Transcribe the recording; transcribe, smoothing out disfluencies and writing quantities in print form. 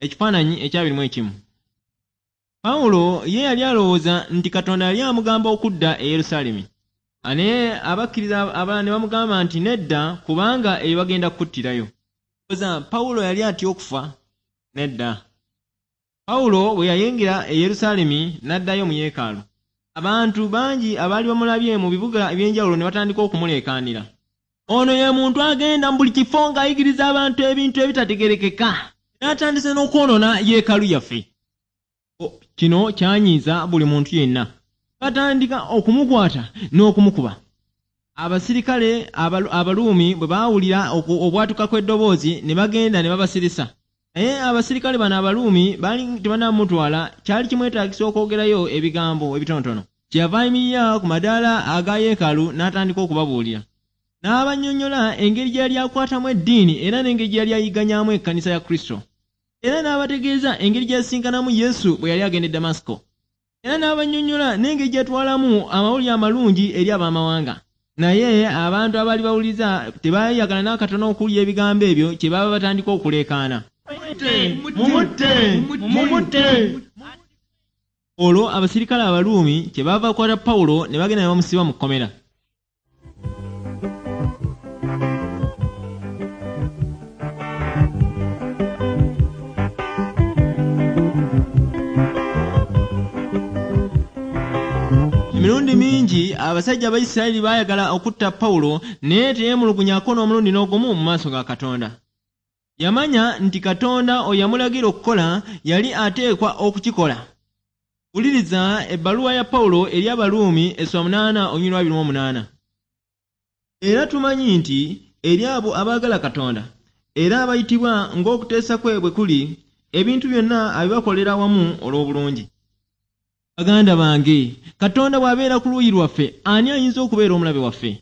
Ekifaananyi ekyabiri mu ekimu. Pawulo ye yali alowooza nti Katonda yali amugamba okudda e Yerusaalemi. Naye abakkiriza abalala ne bamugamba nti nedda, kubanga eyo bagenda kukuttirayo. Olowooza Pawulo yali atya okufa? Nedda. Pawulo bwe yayingira e Yerusaalemi n'addayo mu yeekaalu. Abantu bangi abaali bamulabye mu bibuga eby'enjawulo ne batandika okumuleekaanira. Ono ye muntu agenda mu buli kifo ng'ayigiriza abantu ebintu ebitategeerekeka. N'atandise n'okwonoona yeekaalu yaffe. Kino kyanyiiza buli muntu yenna. Batandika okumukwata n'okumukuba. Abasirikale Abaruumi bwe baawulira obwatuka kw'eddoboozi ne bagenda ne babasirisa. Naye abasirikale bano Abaruumi baali tebannamutwala, kyali kimwetaagisa okwogerayo ebigambo ebitonotono. Kyeyava ayimirira ku madaala aga yeekaalu n'atandika okubabuulira. N'abannyonnyola engeri gye yali akwatamu eddiini era n'engeri gye yali ayigganyaamu ekkanisa ya Kristo. Era n'abategeeza engeri gye yasisinkanamu Yesu bwe yali agenda e Damasiko. Era n'abannyonnyola n'engeri gye yatwalamu amawulire amalungi eri ab'amawanga. Naye abantu abaali bawuliriza tebaayagala n'akatono okuwulira ebigambo ebyo, kyebaava batandika okuleekaana. Mumutte! Mumutte! Olwo abasirikale Abaruumi kyebaava bakwata Pawulo ne bagenda ne bamusiba mu kkomera. Emirundi mingi abasajja Abayisirayiri baayagala okutta Pawulo, naye teyeemulugunyako n'omulundi n'ogumu mu maaso ga Katonda. Yamanya nti Katonda oyo yamulagira okukola yali ateekwa okukikola. Wuliriza ebbaluwa ya Pawulo eri Abaruumi essula 8 olunyiriri lwa 28. Era tumanyi nti eri abo abaagala Katonda, era abayitibwa ng'okuteesa kwe bwe kuli, ebintu byonna abibakolera wamu olw'obulungi. Baganda bange, Katonda bw'abeera ku luuyi lwaffe, ani ayinza okubeera omulabe waffe?